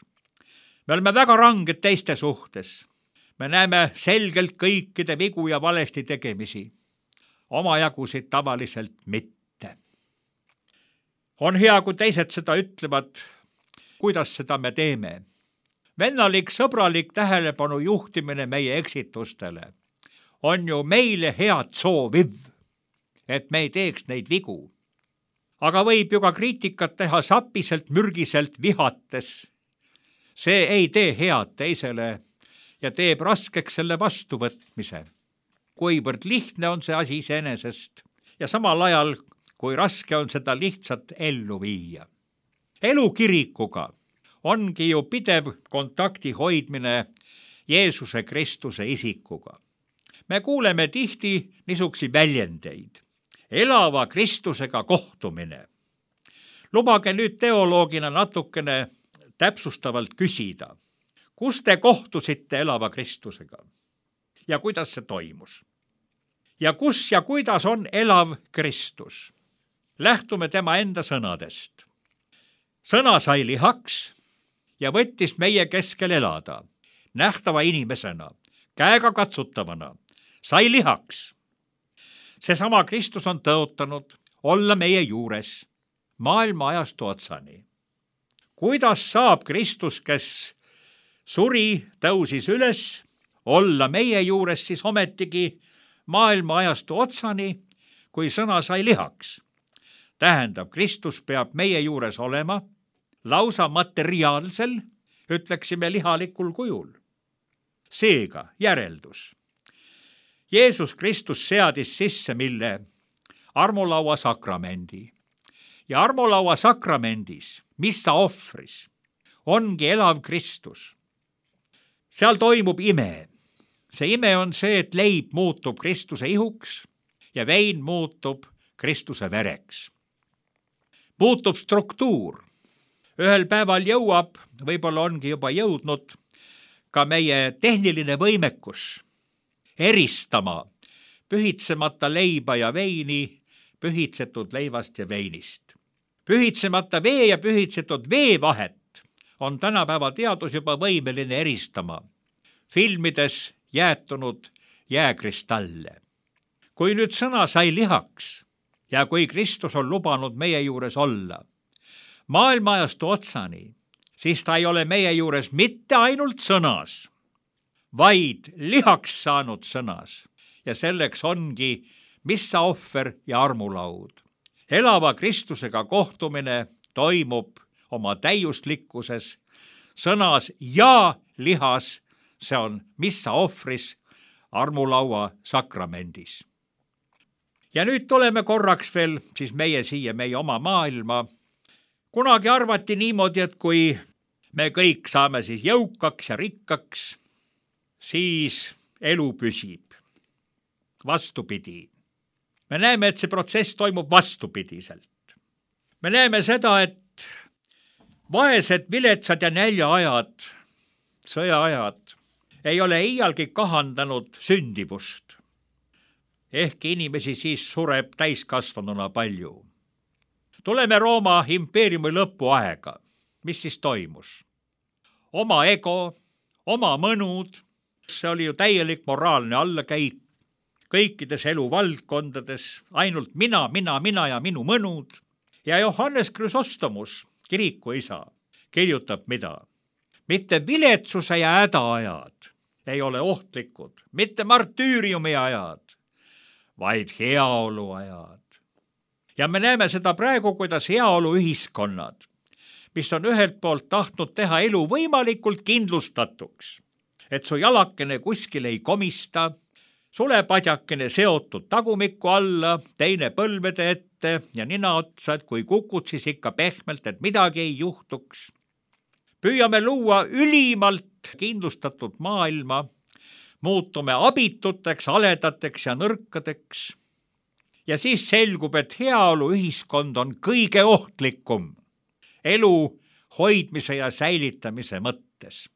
Me oleme väga ranged teiste suhtes. Me näeme selgelt kõikide vigu ja valesti tegemisi. Omajagusid tavaliselt mitte. On hea, kui teised seda ütlevad, kuidas seda me teeme. Vennalik, sõbralik tähelepanu juhtimine meie eksitustele on ju meile head sooviv, et me ei teeks neid vigu. Aga võib ju ka kriitikat teha sapiselt, mürgiselt, vihates. See ei tee head teisele ja teeb raskeks selle vastuvõtmise. Kuivõrd lihtne on see asi iseenesest ja samal ajal, kui raske on seda lihtsalt ellu viia. Elu kirikuga ongi ju pidev kontakti hoidmine Jeesuse Kristuse isikuga. Me kuuleme tihti niisuguseid väljendeid. Elava Kristusega kohtumine. Lubage nüüd teoloogina natukene täpsustavalt küsida, kus te kohtusite elava Kristusega ja kuidas see toimus? Ja kus ja kuidas on elav Kristus? Lähtume tema enda sõnadest. Sõna sai lihaks ja võttis meie keskel elada, nähtava inimesena, käega katsutavana, sai lihaks. Seesama Kristus on tõotanud olla meie juures maailma ajastu otsani. Kuidas saab Kristus, kes suri, tõusis üles, olla meie juures siis ometigi maailma ajastu otsani, kui sõna sai lihaks? Tähendab, Kristus peab meie juures olema lausa materiaalsel, ütleksime lihalikul kujul. Seega järeldus. Jeesus Kristus seadis sisse mille? Armulaua sakramendi. Ja armulaua sakramendis, missa ohvris, ongi elav Kristus. Seal toimub ime. See ime on see, et leib muutub Kristuse ihuks ja vein muutub Kristuse vereks. Muutub struktuur. Ühel päeval jõuab, võib-olla ongi juba jõudnud, ka meie tehniline võimekus eristama pühitsemata leiba ja veini pühitsetud leivast ja veinist. Pühitsemata vee ja pühitsetud vee vahet on tänapäeva teadus juba võimeline eristama, filmides jäätunud jääkristalle. Kui nüüd sõna sai lihaks ja kui Kristus on lubanud meie juures olla, maailmaajastu otsani, siis ta ei ole meie juures mitte ainult sõnas, vaid lihaks saanud sõnas ja selleks ongi missa ohver ja armulaud. Elava Kristusega kohtumine toimub oma täiuslikkuses sõnas ja lihas, see on missa ohvris armulaua sakramendis. Ja nüüd tuleme korraks veel siis meie siia, meie oma maailma. Kunagi arvati niimoodi, et kui me kõik saame siis jõukaks ja rikkaks, siis elu püsib. Vastupidi. Me näeme, et see protsess toimub vastupidiselt. Me näeme seda, et vaesed, viletsad ja näljaajad, sõjaajad ei ole iialgi kahandanud sündivust. Ehkki inimesi siis sureb täiskasvanuna palju. Tuleme Rooma impeeriumi lõpuaega. Mis siis toimus? Oma ego, oma mõnud, see oli ju täielik moraalne allakäik. Kõikides eluvaldkondades ainult mina, mina, mina ja minu mõnud. Ja Johannes Chrysostomus, kirikuisa, kirjutab mida? Mitte viletsuse ja hädaajad ei ole ohtlikud, mitte martüüriumi ajad, vaid heaolu ajad. Ja me näeme seda praegu, kuidas heaolu ühiskonnad, mis on ühelt poolt tahtnud teha elu võimalikult kindlustatuks, et su jalakene kuskil ei komista, sulepadjakene seotud tagumiku alla, teine põlvede ette ja nina otsa, et kui kukud, siis ikka pehmelt, et midagi ei juhtuks. Püüame luua ülimalt kindlustatud maailma, muutume abituteks, aledateks ja nõrkadeks. Ja siis selgub, et heaolu ühiskond on kõige ohtlikum elu hoidmise ja säilitamise mõttes.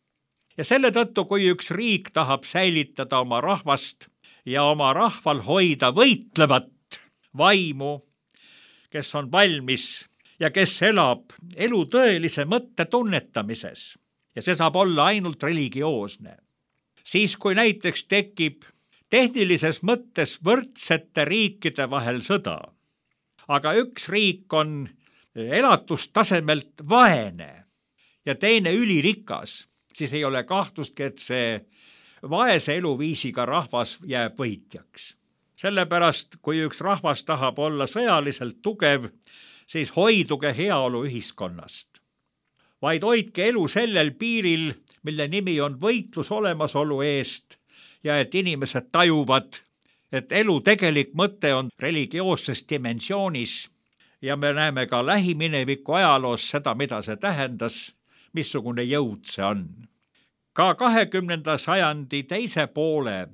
Ja selle tõttu, kui üks riik tahab säilitada oma rahvast ja oma rahval hoida võitlevat vaimu, kes on valmis ja kes elab elu tõelise mõtte tunnetamises, ja see saab olla ainult religioosne, siis kui näiteks tekib tehnilises mõttes võrdsete riikide vahel sõda, aga üks riik on elatustasemelt vaene ja teine ülirikas, siis ei ole kahtlustki, et see vaese eluviisiga rahvas jääb võitjaks. Sellepärast, kui üks rahvas tahab olla sõjaliselt tugev, siis hoiduge heaolu ühiskonnast. Vaid hoidke elu sellel piiril, mille nimi on võitlus olemasolu eest ja et inimesed tajuvad, et elu tegelik mõte on religioosses dimensioonis ja me näeme ka lähimineviku ajaloos seda, mida see tähendas, missugune jõud see on. Ka kahekümnenda sajandi teise poole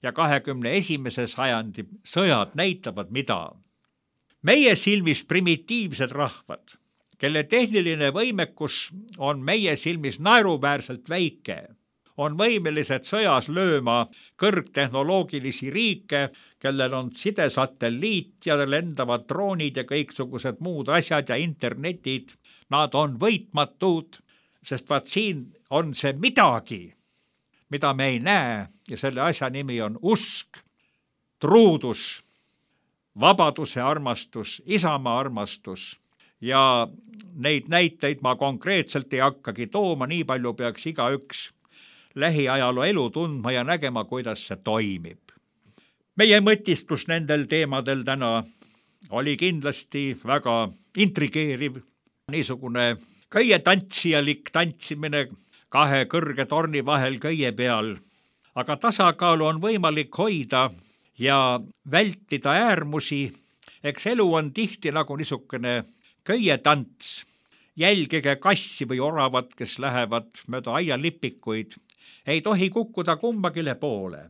ja kahekümne esimese sajandi sõjad näitavad mida. Meie silmis primitiivsed rahvad, kelle tehniline võimekus on meie silmis naeruväärselt väike, on võimelised sõjas lööma kõrgtehnoloogilisi riike, kellel on sidesatelliit ja lendavad droonid ja kõiksugused muud asjad ja internetid. Nad on võitmatud, sest vaat siin on see midagi, mida me ei näe ja selle asja nimi on usk, truudus, vabaduse armastus, isamaa armastus ja neid näiteid ma konkreetselt ei hakkagi tooma, nii palju peaks igaüks lähiajaloo elu tundma ja nägema, kuidas see toimib. Meie mõtisklus nendel teemadel täna oli kindlasti väga intrigeeriv, niisugune köie tantsijalik tantsimine kahe kõrge torni vahel köie peal, aga tasakaalu on võimalik hoida ja vältida äärmusi. Eks elu on tihti nagu niisugune köie tants. Jälgige kassi või oravat, kes lähevad mööda aialipikuid. Ei tohi kukkuda kumbagile poole.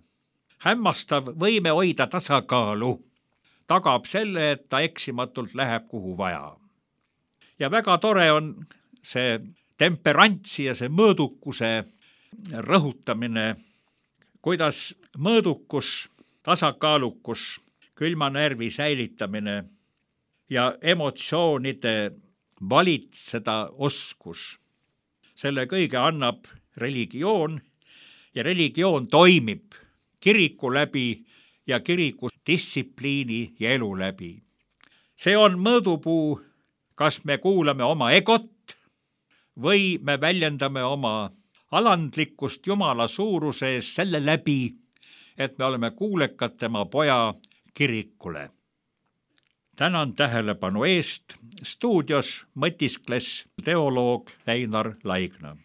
Hämmastav võime hoida tasakaalu tagab selle, et ta eksimatult läheb kuhu vaja. Ja väga tore on see temperantsi ja see mõõdukuse rõhutamine, kuidas mõõdukus, tasakaalukus, külma närvi säilitamine ja emotsioonide valitseda oskus. Selle kõige annab religioon ja religioon toimib kiriku läbi ja kiriku distsipliini ja elu läbi. See on mõõdupuu, kas me kuulame oma egot või me väljendame oma alandlikkust Jumala suuruse ees selle läbi, et me oleme kuulekad tema poja kirikule. Tänan tähelepanu eest. Stuudios mõtiskles teoloog Einar Laigna.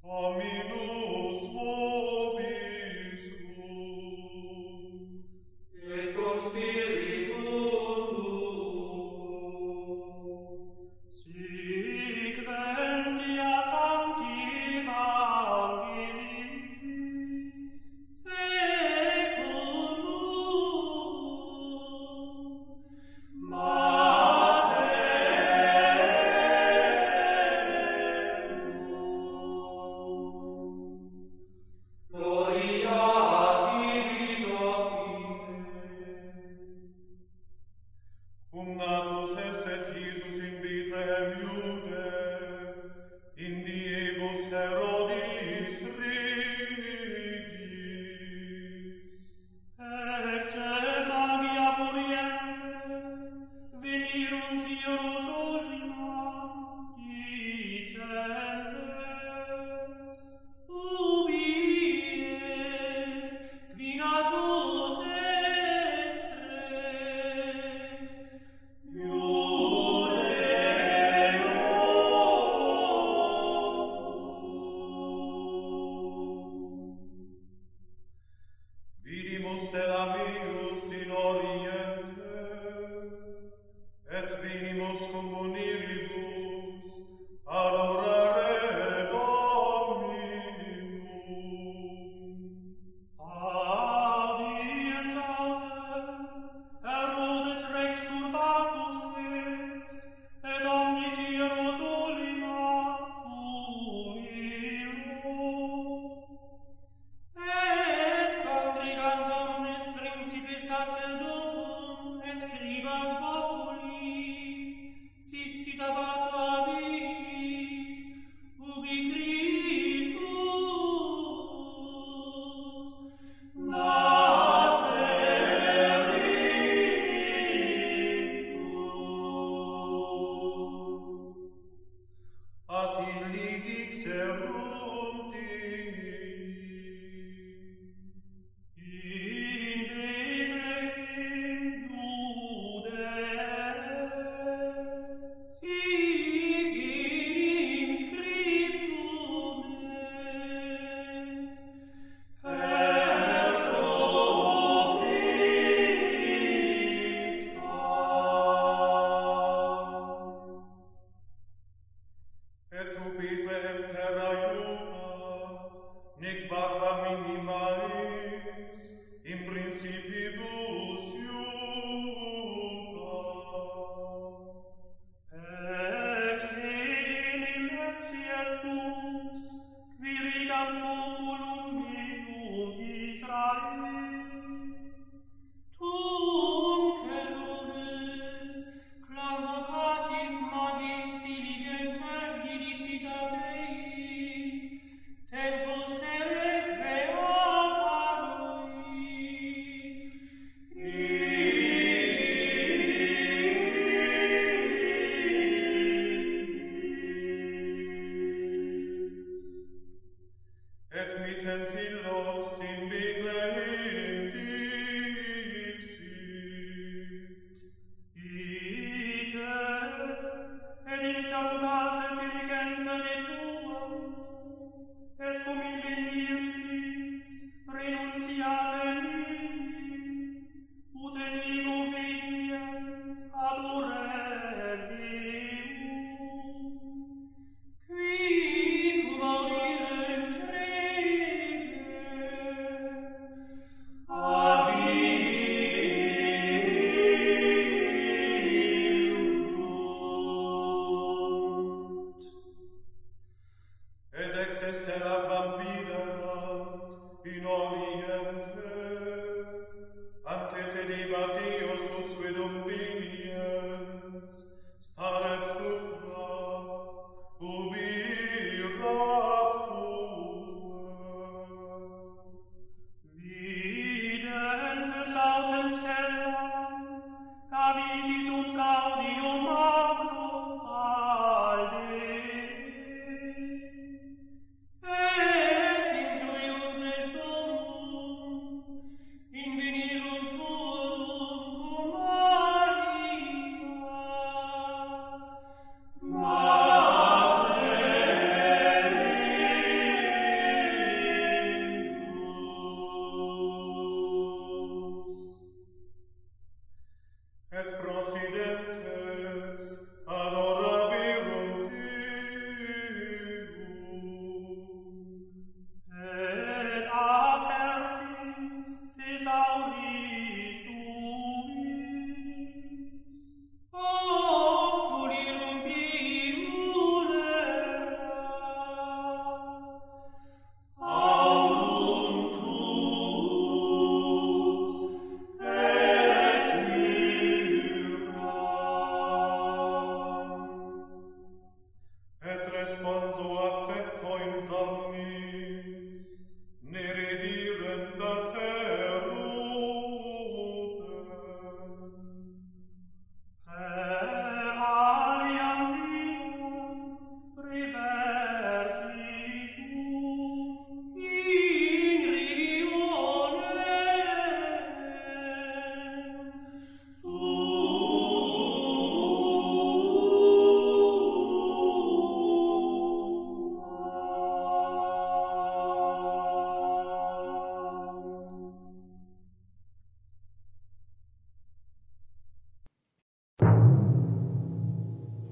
Dominus vobis et cum spiritu sequentia sancti evangelii secundum sacerdotum et scribas populi, sisti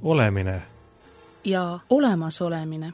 Olemine ja olemasolemine.